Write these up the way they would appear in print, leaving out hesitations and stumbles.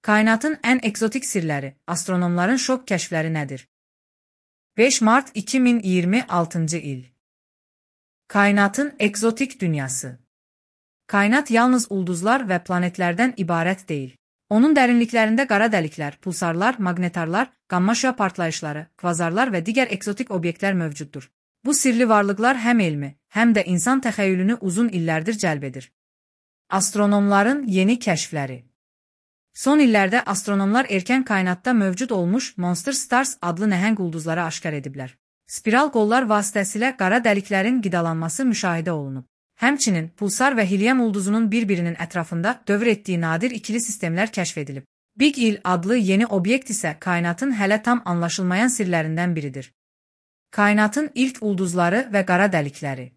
Kainatın ən ekzotik sirləri, astronomların şok kəşfləri nədir? 5 Mart 2026 il. Kainatın ekzotik dünyası. Kainat yalnız ulduzlar və planetlərdən ibarət deyil. Onun dərinliklərində qara dəliklər, pulsarlar, maqnetarlar, qamma-şüa partlayışları, kvazarlar və digər ekzotik obyektlər mövcuddur. Bu sirli varlıqlar həm elmi, həm də insan təxəyyülünü uzun illərdir cəlb edir. Astronomların yeni kəşfləri. Son illərdə astronomlar erkən kainatda mövcud olmuş Monster Stars adlı nəhəng ulduzları aşkar ediblər. Spiral qollar vasitəsilə qara dəliklərin qidalanması müşahidə olunub. Həmçinin pulsar və helium ulduzunun bir-birinin ətrafında dövr etdiyi nadir ikili sistemlər kəşf edilib. Big Il adlı yeni obyekt isə kainatın hələ tam anlaşılmayan sirlərindən biridir. Kainatın ilk ulduzları və qara dəlikləri.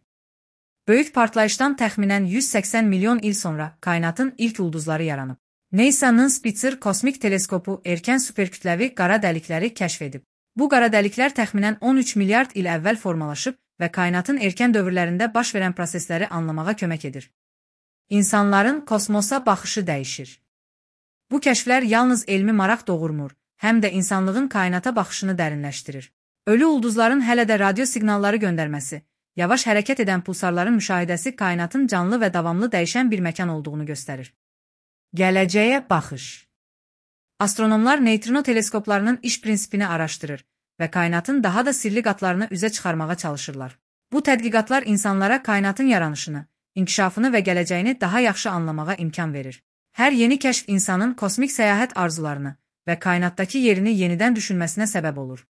Böyük partlayışdan təxminən 180 milyon il sonra kainatın ilk ulduzları yaranıb. NASA'nın Spitzer kosmik teleskopu erkən superkütləvi qara dəlikləri kəşf edib. Bu qara dəliklər təxminən 13 milyard il əvvəl formalaşıb və kainatın erkən dövrlərində baş verən prosesləri anlamağa kömək edir. İnsanların kosmosa baxışı dəyişir. Bu kəşflər yalnız elmi maraq doğurmur, həm də insanlığın kainata baxışını dərinləşdirir. Ölü ulduzların hələ də radio siqnalları göndərməsi, yavaş hərəkət edən pulsarların müşahidəsi kainatın canlı və davamlı dəyişən bir məkan olduğunu göstərir. Gələcəyə baxış. Astronomlar neytrino teleskoplarının iş prinsipini araşdırır və kainatın daha da sirli qatlarını üzə çıxarmağa çalışırlar. Bu tədqiqatlar insanlara kainatın yaranışını, inkişafını və gələcəyini daha yaxşı anlamağa imkan verir. Hər yeni kəşf insanın kosmik səyahət arzularını və kainatdakı yerini yenidən düşünməsinə səbəb olur.